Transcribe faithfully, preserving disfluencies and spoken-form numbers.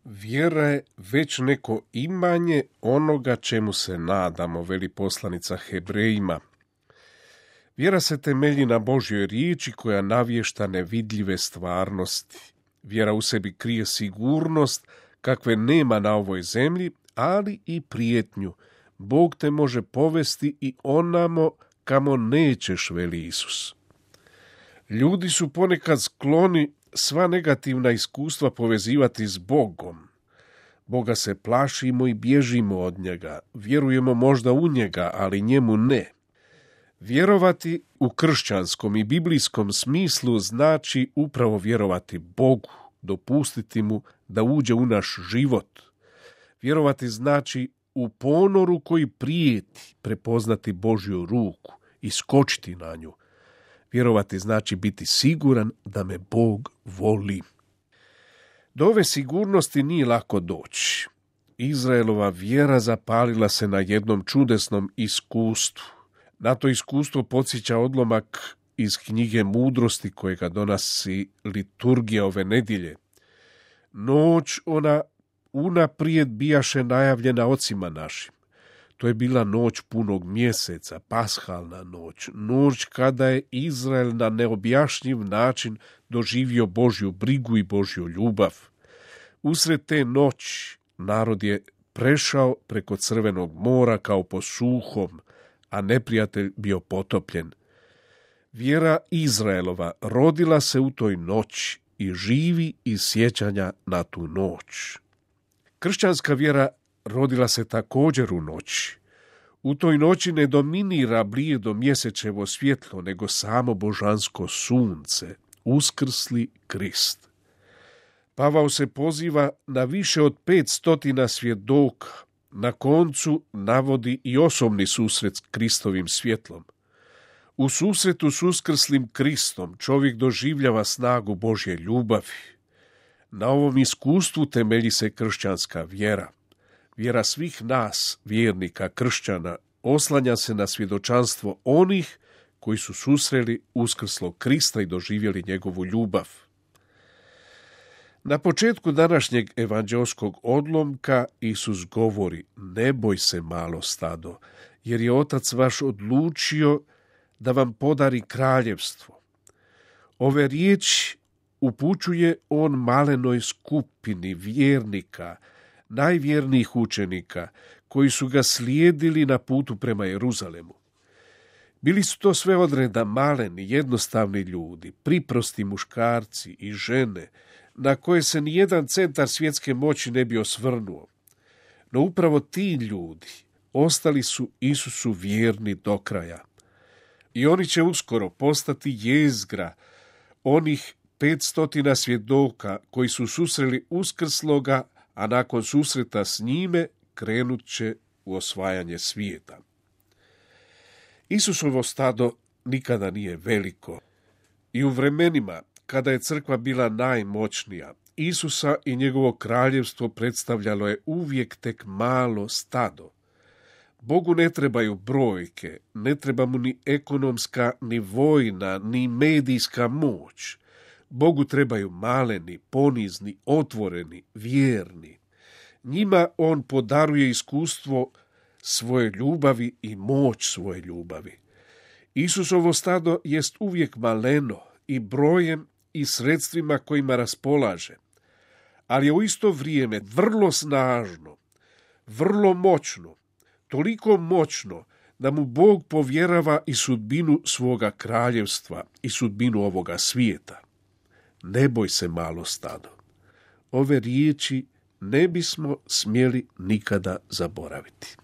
Vjera je već neko imanje onoga čemu se nadamo, veli poslanica Hebrejima. Vjera se temelji na Božjoj riječi koja navješta nevidljive stvarnosti. Vjera u sebi krije sigurnost kakve nema na ovoj zemlji, ali i prijetnju. Bog te može povesti i onamo kamo nećeš, veli Isus. Ljudi su ponekad skloni sva negativna iskustva povezivati s Bogom. Boga se plašimo i bježimo od njega. Vjerujemo možda u njega, ali njemu ne. Vjerovati u kršćanskom i biblijskom smislu znači upravo vjerovati Bogu, dopustiti mu da uđe u naš život. Vjerovati znači u ponoru koji prijeti prepoznati Božju ruku i skočiti na nju. Vjerovati znači biti siguran da me Bog voli. Do ove sigurnosti nije lako doći. Izraelova vjera zapalila se na jednom čudesnom iskustvu. Na to iskustvo podsjeća odlomak iz knjige Mudrosti kojega donosi liturgija ove nedjelje. Noć ona unaprijed bijaše najavljena ocima našim. To je bila noć punog mjeseca, pashalna noć, noć kada je Izrael na neobjašnjiv način doživio Božju brigu i Božju ljubav. Usred te noći narod je prešao preko Crvenog mora kao po suhom, a neprijatelj bio potopljen. Vjera Izraelova rodila se u toj noći i živi iz sjećanja na tu noć. Kršćanska vjera rodila se također u noći. U toj noći ne dominira blijedo mjesečevo svjetlo, nego samo božansko sunce, uskrsli Krist. Pavao se poziva na više od pet stotina svjedoka. Na koncu navodi i osobni susret s Kristovim svjetlom. U susretu s uskrslim Kristom čovjek doživljava snagu Božje ljubavi. Na ovom iskustvu temelji se kršćanska vjera. Vjera svih nas, vjernika kršćana, oslanja se na svjedočanstvo onih koji su susreli uskrslog Krista i doživjeli njegovu ljubav. Na početku današnjeg evanđeoskog odlomka Isus govori: ne boj se, malo stado, jer je Otac vaš odlučio da vam podari kraljevstvo. Ove riječi upućuje on malenoj skupini vjernika, najvjernijih učenika, koji su ga slijedili na putu prema Jeruzalemu. Bili su to sve odreda maleni, jednostavni ljudi, priprosti muškarci i žene, na koje se nijedan centar svjetske moći ne bi osvrnuo. No upravo ti ljudi ostali su Isusu vjerni do kraja. I oni će uskoro postati jezgra onih petstotina svjedoka koji su susreli uskrsloga, a nakon susreta s njime krenut će u osvajanje svijeta. Isusovo stado nikada nije veliko. I u vremenima kada je crkva bila najmoćnija, Isusa i njegovo kraljevstvo predstavljalo je uvijek tek malo stado. Bogu ne trebaju brojke, ne treba mu ni ekonomska, ni vojna, ni medijska moć. Bogu trebaju maleni, ponizni, otvoreni, vjerni. Njima on podaruje iskustvo svoje ljubavi i moć svoje ljubavi. Isusovo stado jest uvijek maleno i brojem i sredstvima kojima raspolaže, ali je u isto vrijeme vrlo snažno, vrlo moćno, toliko moćno da mu Bog povjerava i sudbinu svoga kraljevstva i sudbinu ovoga svijeta. Ne boj se, malo stado. Ove riječi ne bismo smjeli nikada zaboraviti.